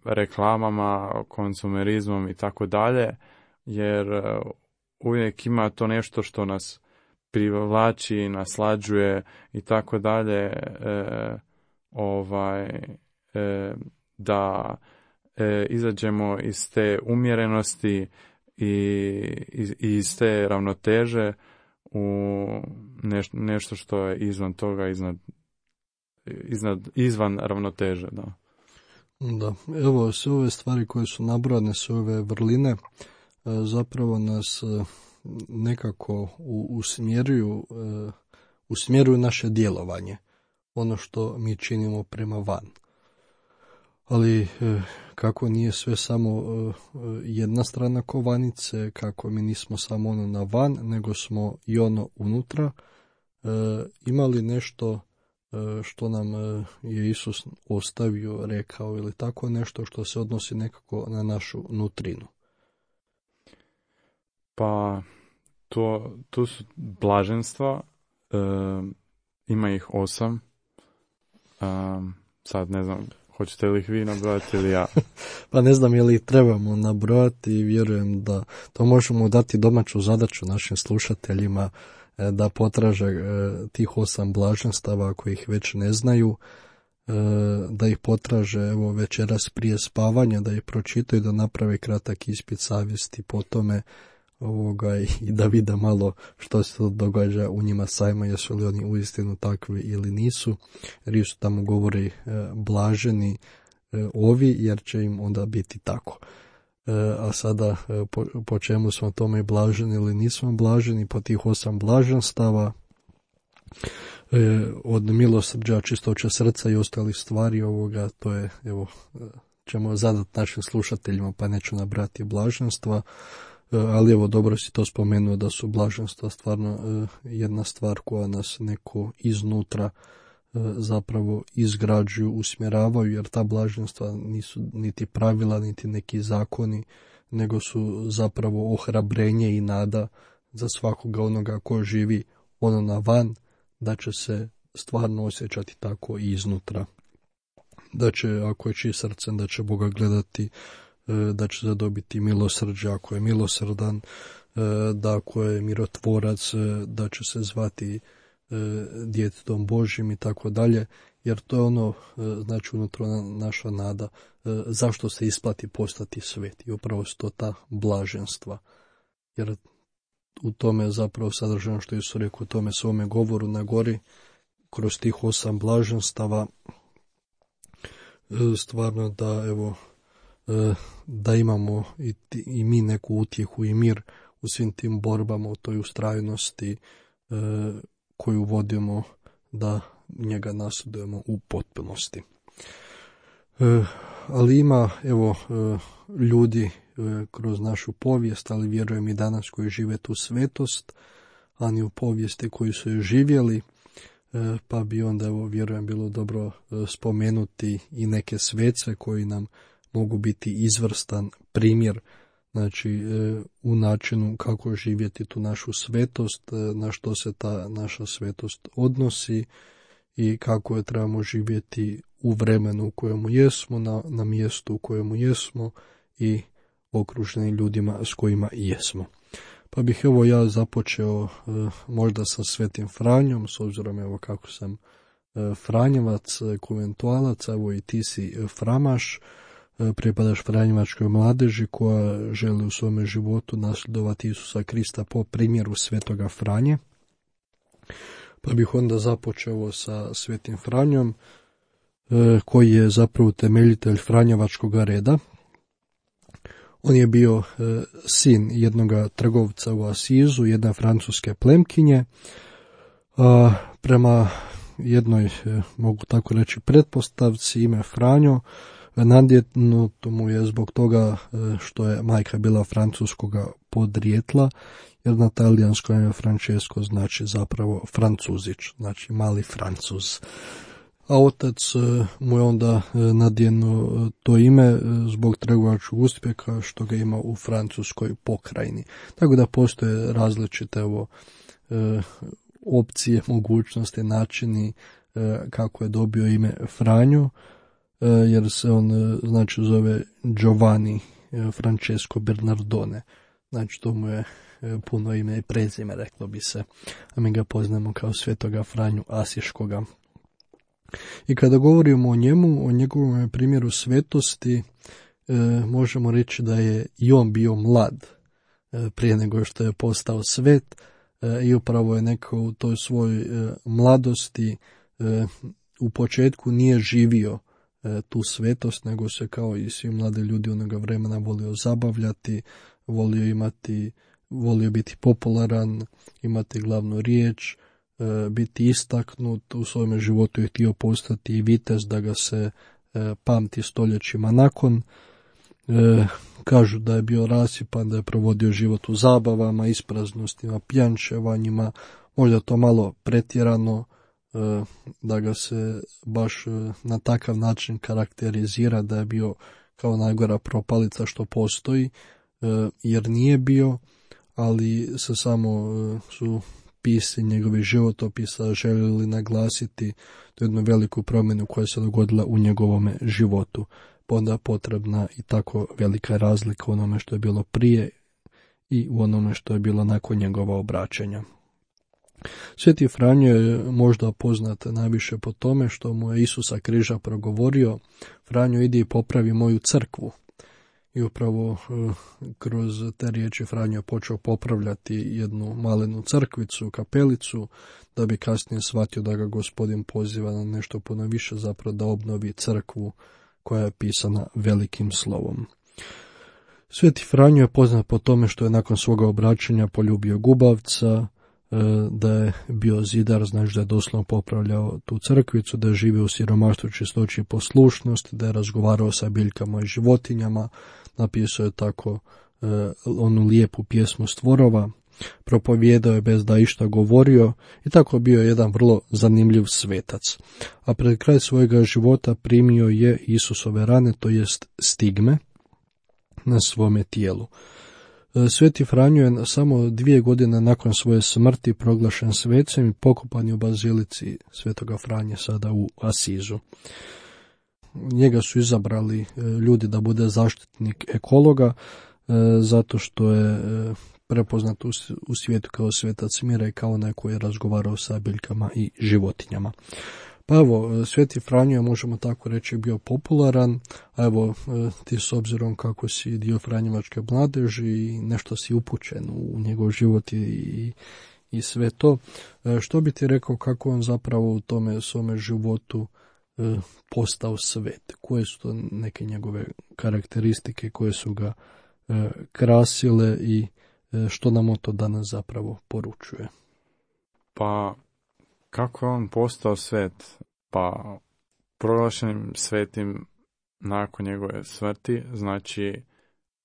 reklamama, konsumerizmom i tako dalje, jer e, uvijek ima to nešto što nas privlači, naslađuje i tako dalje, e, ovaj, e, da e, izađemo iz te umjerenosti i iz, iz te ravnoteže u neš, nešto što je izvan toga, iznad Iznad, izvan ravnoteže, da. Da, evo, sve ove stvari koje su nabrojane, sve ove vrline, zapravo nas nekako usmjeruju, usmjeruju naše djelovanje, ono što mi činimo prema van. Ali kako nije sve samo jedna strana kovanice, kako mi nismo samo ono na van, nego smo i ono unutra, imali nešto što nam je Isus ostavio, rekao ili tako nešto što se odnosi nekako na našu nutrinu. Pa to, tu su blaženstva, e, ima ih osam. E, sad ne znam, hoćete li ih vi nabrojati ili ja? Pa ne znam je li ih trebamo nabrojati i vjerujem da to možemo dati domaću zadaću našim slušateljima e, da potraže e, tih osam blaženstava ako ih već ne znaju, e, da ih potraže evo večeras prije spavanja, da ih pročitaju, da naprave kratak ispit savjesti po tome ovoga, i da vide malo što se događa u njima sajma, jesu li oni uistinu takvi ili nisu. Jer isto tamo govori e, blaženi e, ovi, jer će im onda biti tako. E, a sada e, po, po čemu smo tome blaženi ili nismo blaženi, po tih osam blaženstava, e, od milosrđa, čistoće srca i ostalih stvari ovoga, to je, evo, ćemo zadati našim slušateljima, pa neću nabrati blaženstva. Ali evo, dobro si to spomenuo da su blaženstva stvarno jedna stvar koja nas neko iznutra zapravo izgrađuju, usmjeravaju, jer ta blaženstva nisu niti pravila, niti neki zakoni, nego su zapravo ohrabrenje i nada za svakoga onoga ko živi ono na van, da će se stvarno osjećati tako i iznutra. Da će, ako je čist srcem, da će Boga gledati, da će zadobiti milosrđe ako je milosrdan, da ako je mirotvorac, da će se zvati djetetom Božjim i tako dalje, jer to je ono, znači unutra naša nada, zašto se isplati postati svet, i upravo su to ta blaženstva, jer u tome je zapravo sadržano što Isus rekao u tome svome govoru na gori, kroz tih osam blaženstava, stvarno da evo da imamo i, ti, i mi neku utjehu i mir u svim tim borbama, u toj ustrajnosti e, koju vodimo, da njega nasledujemo u potpunosti. E, ali ima evo e, ljudi e, kroz našu povijest, ali vjerujem i danas koji žive tu svetost, a ni u povijesti koji su je živjeli, e, pa bi onda evo vjerujem bilo dobro e, spomenuti i neke svece koji nam mogu biti izvrstan primjer, znači e, u načinu kako živjeti tu našu svetost, e, na što se ta naša svetost odnosi i kako je trebamo živjeti u vremenu u kojemu jesmo, na, na mjestu u kojemu jesmo i okruženi ljudima s kojima jesmo. Pa bih evo ja započeo e, možda sa Svetim Franjom, s obzirom evo kako sam e, Franjevac, konventualac, evo i ti si Framaš, pripadaš Franjevačkoj mladeži koja želi u svome životu nasljedovati Isusa Krista po primjeru Svetoga Franje. Pa bih onda započeo sa Svetim Franjom, koji je zapravo temeljitelj Franjevačkog reda. On je bio sin jednoga trgovca u Asizu, jedne francuske plemkinje. A prema jednoj, mogu tako reći, pretpostavci, ime Franjo nadjetnuto mu je zbog toga što je majka bila francuskoga podrijetla, jer na talijanskom ime Francesco znači zapravo Francuzić, znači mali Francuz. A otac mu je onda nadjenuo to ime zbog trgovačkog uspjeha što ga ima u francuskoj pokrajini. Tako da postoje različite evo, opcije, mogućnosti, načini kako je dobio ime Franjo, jer se on znači zove Giovanni Francesco Bernardone. Znači to mu je puno ime i prezime, reklo bi se, a mi ga poznamo kao Svetoga Franju Asiškoga. I kada govorimo o njemu, o njegovom primjeru svetosti, e, možemo reći da je i on bio mlad e, prije nego što je postao svet, e, i upravo je neko u toj svojoj e, mladosti e, u početku nije živio e, tu svetost, nego se kao i svi mladi ljudi onoga vremena volio zabavljati, volio imati, volio biti popularan, imati glavnu riječ, biti istaknut u svojem životu, je htio postati i vitez da ga se e, pamti stoljećima nakon. E, kažu da je bio rasipan, da je provodio život u zabavama, ispraznostima, pjančevanjima, možda to malo pretjerano, e, da ga se baš e, na takav način karakterizira da je bio kao najgora propalica što postoji, e, jer nije bio, ali se samo su pisci njegovih životopisa željeli naglasiti tu jednu veliku promjenu koja se dogodila u njegovome životu. Pa onda potrebna i tako velika razlika u onome što je bilo prije i u onome što je bilo nakon njegova obraćanja. Sveti Franjo je možda poznat najviše po tome što mu je Isusa križa progovorio: Franjo, idi i popravi moju crkvu. I upravo kroz te riječi Franjo je počeo popravljati jednu malenu crkvicu, kapelicu, da bi kasnije shvatio da ga Gospodin poziva na nešto puno više, zapravo da obnovi crkvu koja je pisana velikim slovom. Sveti Franjo je poznat po tome što je nakon svoga obraćanja poljubio gubavca, da je bio zidar, znači da je doslovno popravljao tu crkvicu, da je živio u siromaštvu, čistoći i poslušnosti, da je razgovarao sa biljkama i životinjama, napisao je tako e, onu lijepu pjesmu Stvorova, propovijedao je bez da išta govorio i tako bio jedan vrlo zanimljiv svetac. A pred kraj svojega života primio je Isusove rane, to jest stigme, na svome tijelu. Sveti Franjo je samo dvije godine nakon svoje smrti proglašen svecem i pokopan je u bazilici Svetoga Franje sada u Asizu. Njega su izabrali ljudi da bude zaštitnik ekologa, zato što je prepoznat u svijetu kao svetac mira i kao onaj koji je razgovarao sa biljkama i životinjama. Pa evo, Sveti Franjo je, možemo tako reći, bio popularan, a evo, ti s obzirom kako si dio Franjevačke mladeži i nešto si upućen u njegov život i, i sve to, što bi ti rekao kako on zapravo u tome svome životu postao svet? Koje su to neke njegove karakteristike koje su ga krasile i što nam o to danas zapravo poručuje? Pa, kako je on postao svet? Pa, proglašenim svetim nakon njegove smrti, znači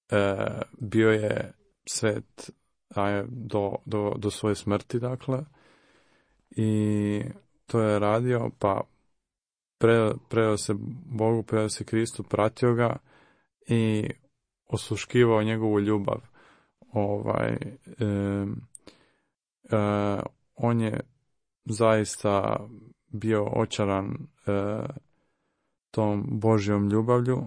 e, bio je svet a, do, do, do svoje smrti, dakle, i to je radio, pa pre, predao se Bogu, predao se Kristu, pratio ga i osluškivao njegovu ljubav. Ovaj, e, e, on je zaista bio očaran e, tom Božjom ljubavlju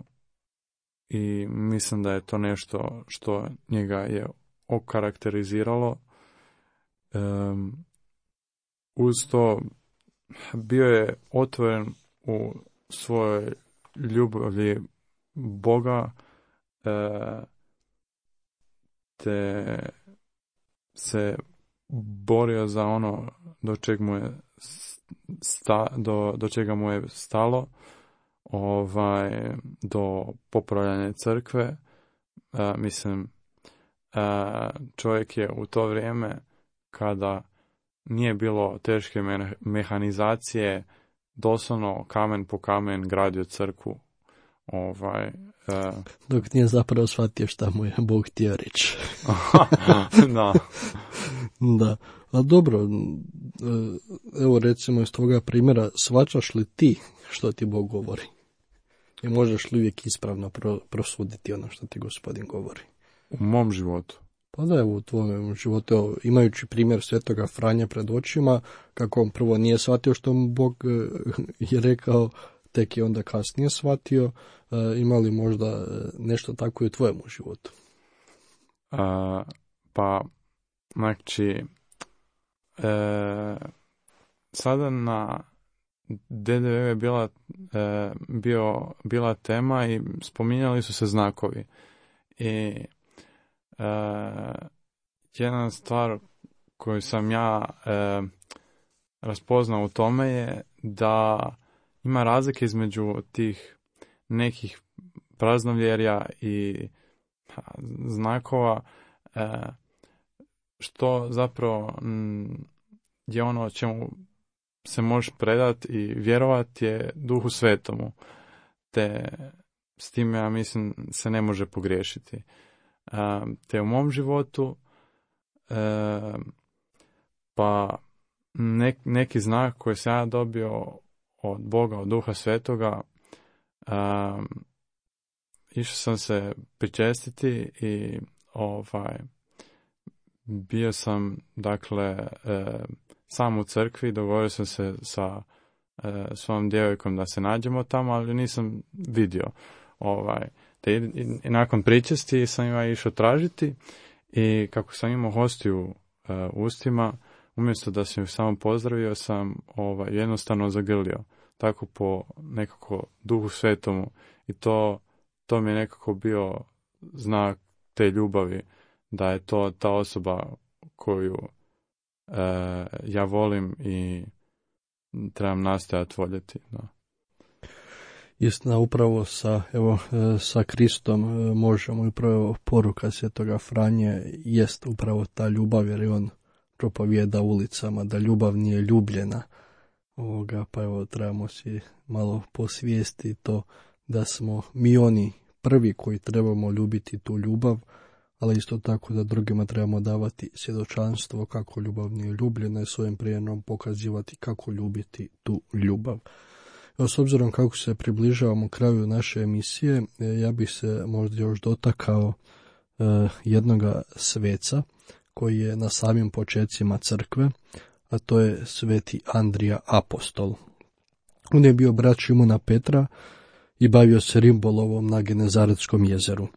i mislim da je to nešto što njega je okarakteriziralo. E, uz to bio je otvoren u svojoj ljubavi Boga, e, te se borio za ono do čeg mu je sta, do, do čega mu je stalo, ovaj, do popravljanja crkve. A, mislim, a, čovjek je u to vrijeme kada nije bilo teške me, mehanizacije, doslovno kamen po kamen gradio crkvu. Ovaj, a... Dok nije zapravo shvatio šta mu je Bog htio reći. Da. Da, a dobro, evo recimo iz toga primjera, shvaćaš li ti što ti Bog govori? I možeš li uvijek ispravno pro, prosuditi ono što ti Gospodin govori? U mom životu? Pa da, evo u tvojem životu, evo, imajući primjer Svetoga Franje pred očima, kako on prvo nije shvatio što mu Bog je rekao, tek je onda kasnije shvatio, ima li možda nešto tako i u tvojemu životu? A, pa, znači, e, sada na D D V je bila, e, bio, bila tema i spominjali su se znakovi. I e, jedna stvar koju sam ja e, raspoznao u tome je da ima razlike između tih nekih praznovjerja i znakova, e, što zapravo m, je ono čemu se možeš predati i vjerovati je Duhu Svetomu. Te s time, ja mislim, se ne može pogriješiti. E, te u mom životu e, pa nek, neki znak koji sam ja dobio od Boga, od Duha Svetoga, um, išao sam se pričestiti i ovaj, bio sam, dakle, e, sam u crkvi, dogovorio sam se sa e, svojom djevojkom da se nađemo tamo, ali nisam vidio. Ovaj, te i, i, i nakon pričesti sam ja išao tražiti i kako sam imao hostiju e, u ustima, umjesto da sam ju samo pozdravio, sam ovaj, jednostavno zagrlio. Tako po nekako duhu svetomu. I to, to mi je nekako bio znak te ljubavi, da je to ta osoba koju e, ja volim i trebam nastojati voljeti. Da. Istina, upravo sa, evo, sa Kristom možemo, upravo poruka Svetoga Franje jest upravo ta ljubav, jer je on propovijeda ulicama da ljubav nije ljubljena. Ovoga, pa evo, trebamo si malo posvijesti to da smo mi oni prvi koji trebamo ljubiti tu ljubav, ali isto tako da drugima trebamo davati svjedočanstvo kako ljubav nije ljubljena i svojim primjerom pokazivati kako ljubiti tu ljubav. Evo, s obzirom kako se približavamo kraju naše emisije, ja bih se možda još dotakao e, jednoga sveca koji je na samim počecima crkve, a to je sveti Andrija Apostol. On je bio brat Šimuna Petra i bavio se rimbolovom na Genezaretskom jezeru.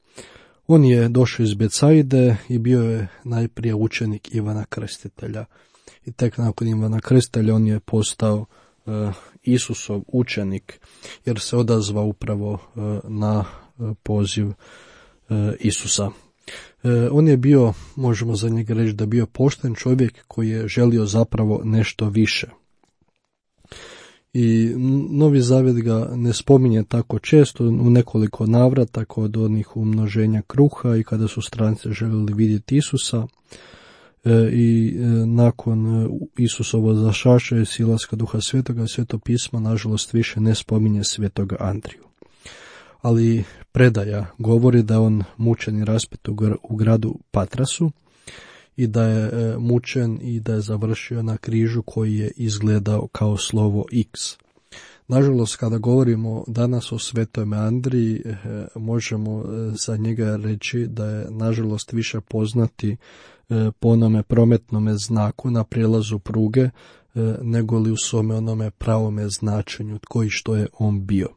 On je došao iz Becajde i bio je najprije učenik Ivana Krstitelja. I tek nakon Ivana Krstitelja on je postao e, Isusov učenik, jer se odazvao upravo e, na e, poziv e, Isusa. E, on je bio, možemo za njega reći da je bio pošten čovjek koji je želio zapravo nešto više. I Novi Zavjet ga ne spominje tako često, u nekoliko navrata kod onih umnoženja kruha i kada su stranci željeli vidjeti Isusa. E, I e, nakon Isusovo zašaša i silaska Duha Svetoga, Sveto pismo nažalost više ne spominje Svetoga Andriju. Ali predaja govori da je on mučen i raspet u gradu Patrasu i da je mučen i da je završio na križu koji je izgledao kao slovo X. Nažalost, kada govorimo danas o Svetom Andriji, možemo za njega reći da je nažalost više poznati po onome prometnome znaku na prijelazu pruge, nego li u svome onome pravome značenju tko i što je on bio.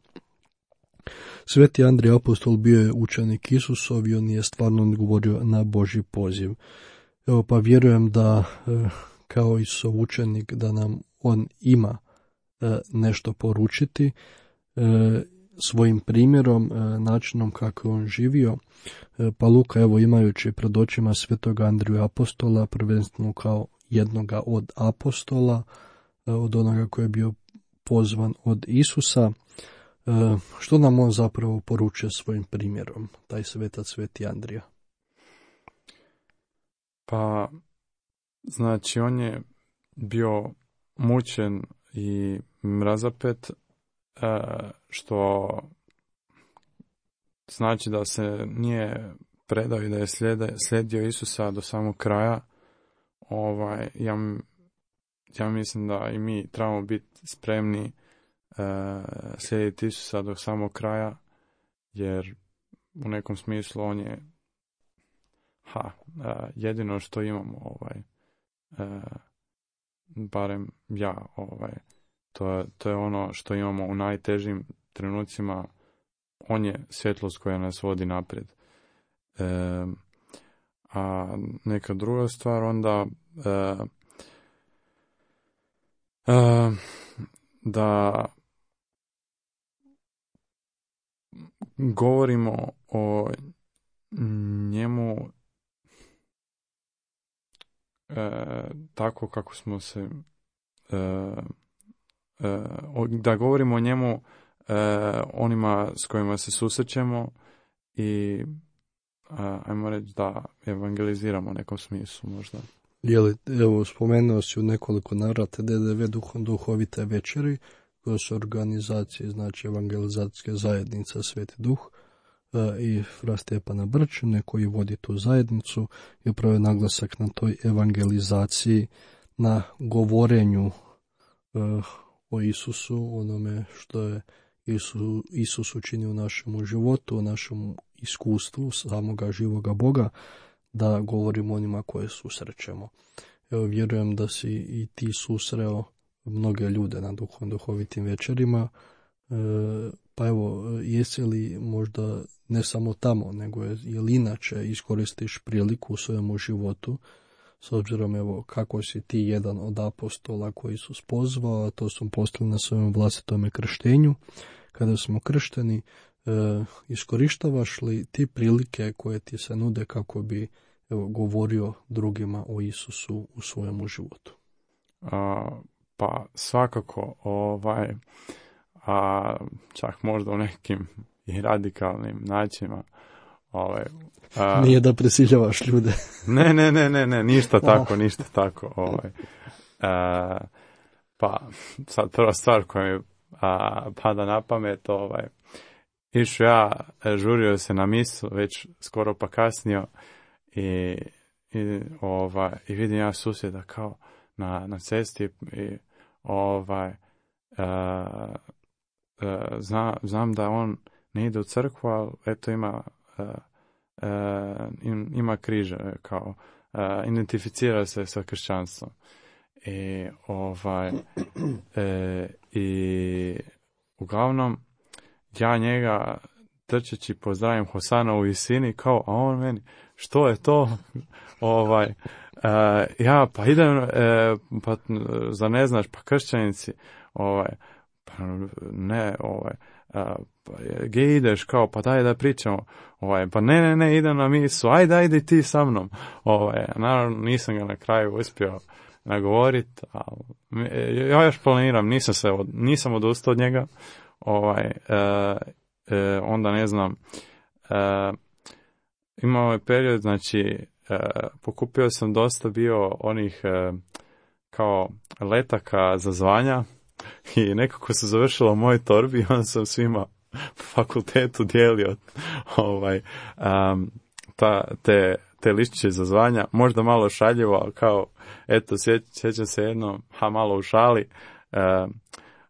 Sveti Andrija Apostol bio je učenik Isusov i on je stvarno odgovorio na Božji poziv. Evo, pa vjerujem da kao Isusov učenik da nam on ima nešto poručiti svojim primjerom, načinom kako je on živio. Pa Luka, evo, imajući pred očima Svetog Andriju Apostola, prvenstveno kao jednoga od apostola, od onoga koji je bio pozvan od Isusa, što nam on zapravo poručuje svojim primjerom, taj svetac Sveti Andrija? Pa, znači, on je bio mučen i mrazapet, što znači da se nije predao i da je slijedio Isusa do samog kraja. Ovaj, ja, ja mislim da i mi trebamo biti spremni slijediti Isusa do samog kraja, jer u nekom smislu on je ha, jedino što imamo, ovaj, barem ja, ovaj, to, to je ono što imamo u najtežim trenucima. On je svjetlost koja nas vodi naprijed. E, a neka druga stvar onda e, e, da govorimo o njemu e, tako kako smo se e, e, da govorimo o njemu e, onima s kojima se susrećemo i a, ajmo reći da evangeliziramo u nekom smislu možda. Jeli, evo, spomenuo si u nekoliko navrata D D V duhom duhovite večeri, koje su organizacije, znači evangelizacijske zajednica Sveti Duh e, i fra Stjepana Brčine koji vodi tu zajednicu i upravo je naglasak na toj evangelizaciji, na govorenju e, o Isusu, onome što je Isus, Isus učinio u našem životu, u našem iskustvu samoga živoga Boga, da govorimo onima koje susrećemo. Evo, vjerujem da si i ti susreo mnoge ljude na duhovnim duhovitim večerima, e, pa evo, jesi li možda ne samo tamo, nego je, je li inače iskoristiš priliku u svojemu životu, s obzirom evo kako si ti jedan od apostola koji su pozvao, a to su postali na svojem vlastitome krštenju, kada smo kršteni, e, iskorištavaš li ti prilike koje ti se nude kako bi evo, govorio drugima o Isusu u svojemu životu? A, pa svakako, ovaj, a čak možda u nekim i radikalnim načinima. Ovaj, a, Nije da prisiljavaš ljude. ne, ne, ne, ne, ne, ništa tako, ništa tako. Ovaj. A, pa sad prva stvar koja mi a, pada na pamet, ovaj, išao ja, žurio se na misu, već skoro pa kasnio, i, i, ovaj, i vidim ja susjeda kao na, na cesti i ovaj, a, a, zna, znam da on ne ide u crkvu, ali eto ima a, a, ima križe, kao a, identificira se sa kršćanstvom. I ovaj e, i uglavnom ja njega trčeći pozdravim Hosana u visini, kao, a on meni, što je to? ovaj, e, ja, pa idem, e, pa za ne znaš, pa kršćanici, ovaj, pa ne, ovaj, a, pa, gdje ideš, kao, pa daj da pričamo, ovaj, pa ne, ne, ne, idem na misu, ajde, ajde ti sa mnom, ovaj, naravno nisam ga na kraju uspio nagovorit, ali ja još planiram, nisam se, od, nisam odustao od njega, ovaj, e, e, onda ne znam, e, imao je period, znači, e, pokupio sam dosta bio onih e, kao letaka za zvanja i nekako se završilo u mojoj torbi i onda sam svima po fakultetu dijelio ovaj, um, ta, te, te listiće za zvanja, možda malo šaljivo, ali kao, eto, sjećam se jedno, ha, malo u šali, e,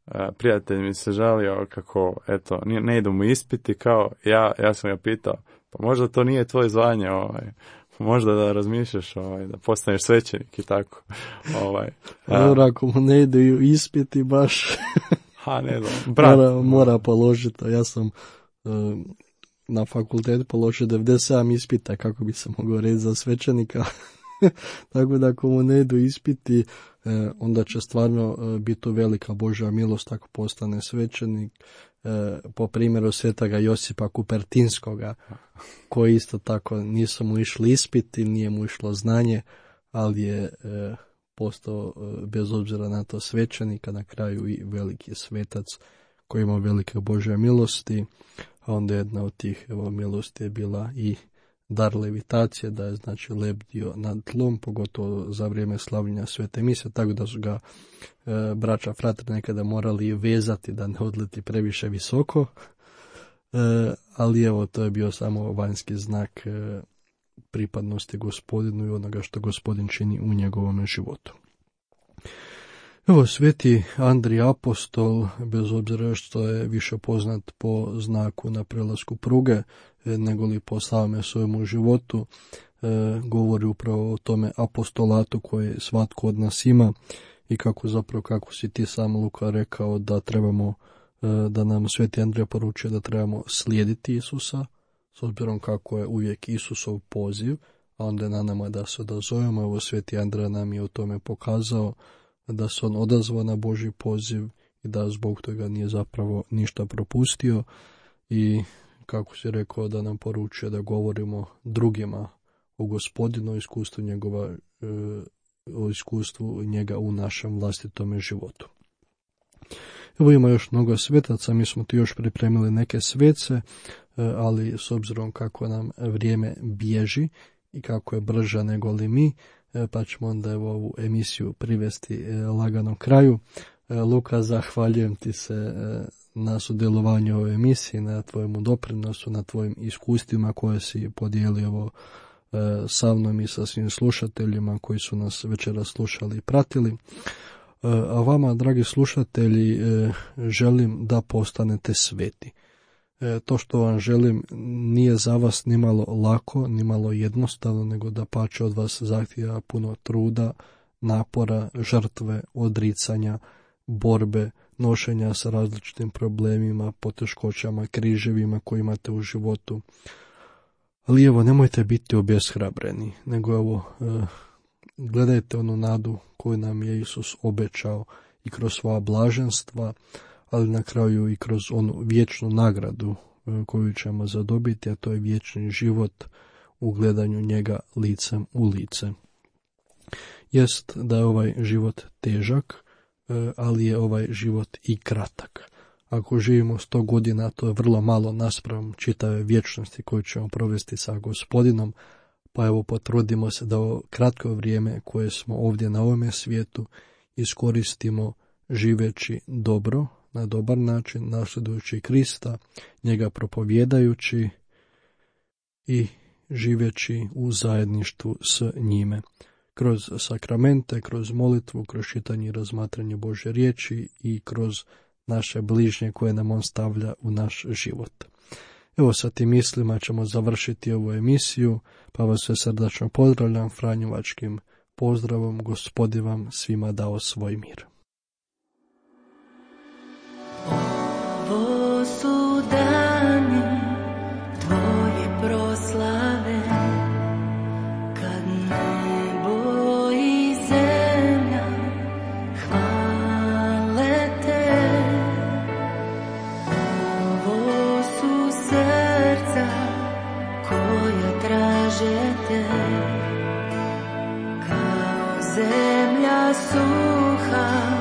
e, prijatelj mi se žalio kako, eto, ne, ne idu mu ispiti, kao, ja, ja sam ga pitao, pa možda to nije tvoje zvanje, ovaj, možda da razmišljaš, ovaj, da postaneš svećenik i tako. Ovaj, Dobro, ako mu ne idu ispiti baš, ha, ne znam, brat. Mora, mora položiti, ja sam uh, na fakultetu položio devedeset sedam ispita kako bi se mogao reći za svećenika. Tako da ako mu ne idu ispiti, eh, onda će stvarno eh, biti velika Božja milost ako postane svećenik. Eh, po primjeru svetoga Josipa Kupertinskoga, koji isto tako nisu mu išli ispiti, nije mu išlo znanje, ali je eh, postao eh, bez obzira na to svećenika, na kraju i veliki svetac koji ima velike Božje milosti. A onda jedna od tih evo, milosti je bila i dar levitacije, da je znači lebdio nad tlom, pogotovo za vrijeme slavljenja svete mise, tako da su ga e, braća fratri nekada morali vezati da ne odleti previše visoko, e, ali evo to je bio samo vanjski znak e, pripadnosti Gospodinu i onoga što Gospodin čini u njegovom životu. Evo, sveti Andrij apostol, bez obzira što je više poznat po znaku na prelasku pruge, nego li po samome svojemu životu, e, govori upravo o tome apostolatu koje svatko od nas ima i kako zapravo, kako si ti sam Luka rekao, da trebamo, e, da nam sveti Andrija poručuje da trebamo slijediti Isusa, s obzirom kako je uvijek Isusov poziv, a onda je na nama da se odazovemo. Evo, sveti Andrija nam je u tome pokazao da se on odazvao na Božji poziv i da zbog toga nije zapravo ništa propustio i kako si rekao da nam poručuje da govorimo drugima o Gospodinu, o iskustvu njegova, o iskustvu njega u našem vlastitome životu. Evo, ima još mnogo svetaca, mi smo ti još pripremili neke svece, ali s obzirom kako nam vrijeme bježi i kako je brža nego li mi, pa ćemo onda evo ovu emisiju privesti lagano kraju. Luka, zahvaljujem ti se na sudjelovanju u ovoj emisiji, na tvojemu doprinosu, na tvojim iskustvima koje si podijelio evo sa mnom i sa svim slušateljima koji su nas večeras slušali i pratili. A vama, dragi slušatelji, želim da postanete sveti. E, to što vam želim nije za vas nimalo lako, nimalo jednostavno, nego da pače od vas zahtjeva puno truda, napora, žrtve, odricanja, borbe, nošenja sa različitim problemima, poteškoćama, križevima koje imate u životu. Ali evo, nemojte biti obeshrabreni, nego evo, e, gledajte onu nadu koju nam je Isus obećao i kroz svoja blaženstva, ali na kraju i kroz onu vječnu nagradu e, koju ćemo zadobiti, a to je vječni život u gledanju njega licem u lice. Jest da je ovaj život težak, e, ali je ovaj život i kratak. Ako živimo sto godina, to je vrlo malo naspram čitave vječnosti koju ćemo provesti sa Gospodinom, pa evo potrudimo se da ovo kratko vrijeme koje smo ovdje na ovome svijetu iskoristimo živeći dobro, na dobar način, nasljedujući Krista, njega propovjedajući i živeći u zajedništvu s njime. Kroz sakramente, kroz molitvu, kroz čitanje i razmatranje Božje riječi i kroz naše bližnje koje nam on stavlja u naš život. Evo sa tim mislima ćemo završiti ovu emisiju, pa vas sve srdačno pozdravljam franjevačkim pozdravom. Gospodin vam svima dao svoj mir. Ovo su dani tvoje proslave, kad nebo i zemlja hvale te. Ovo su srca koja traže te, kao zemlja suha,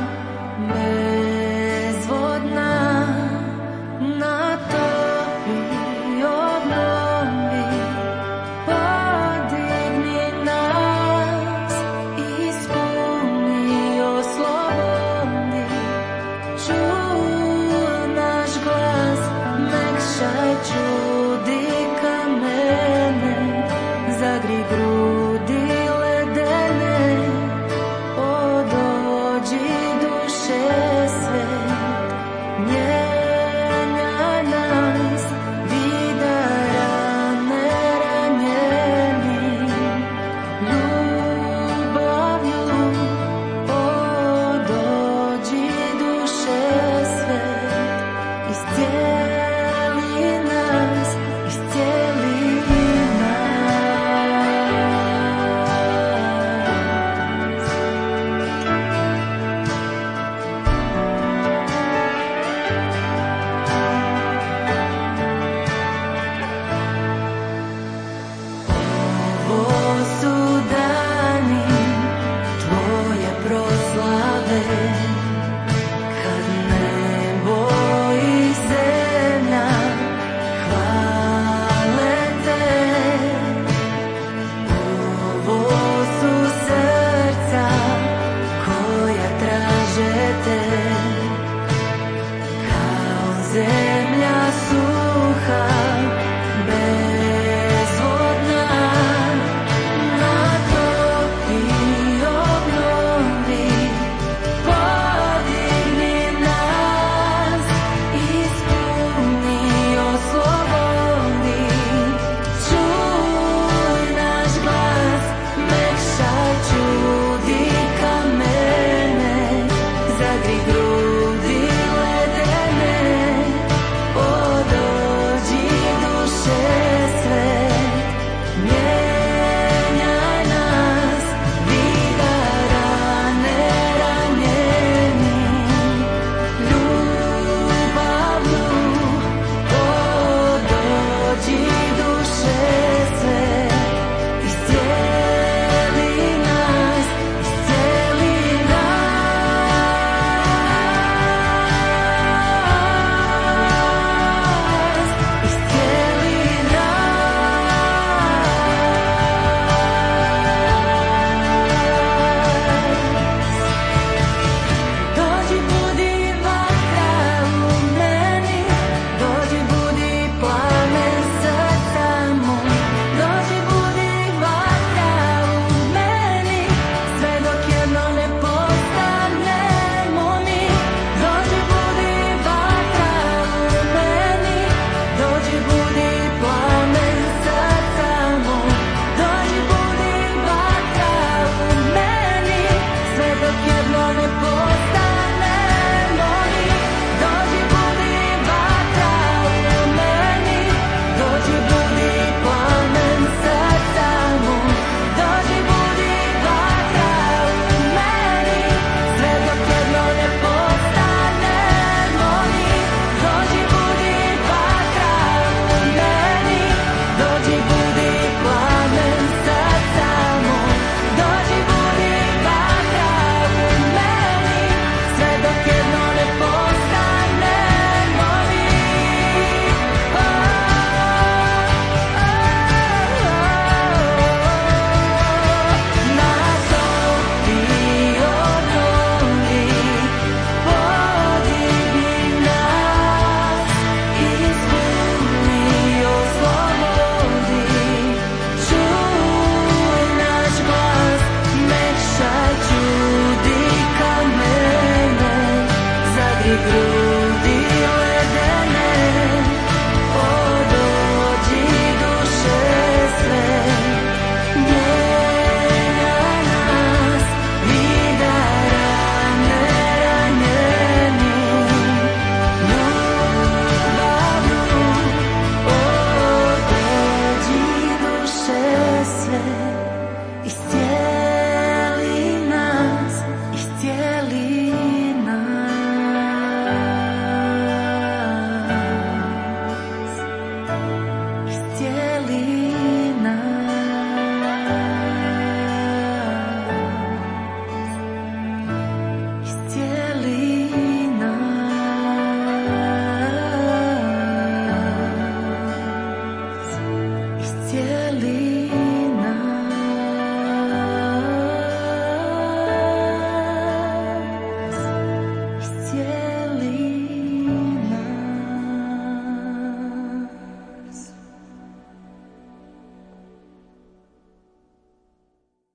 zemlja su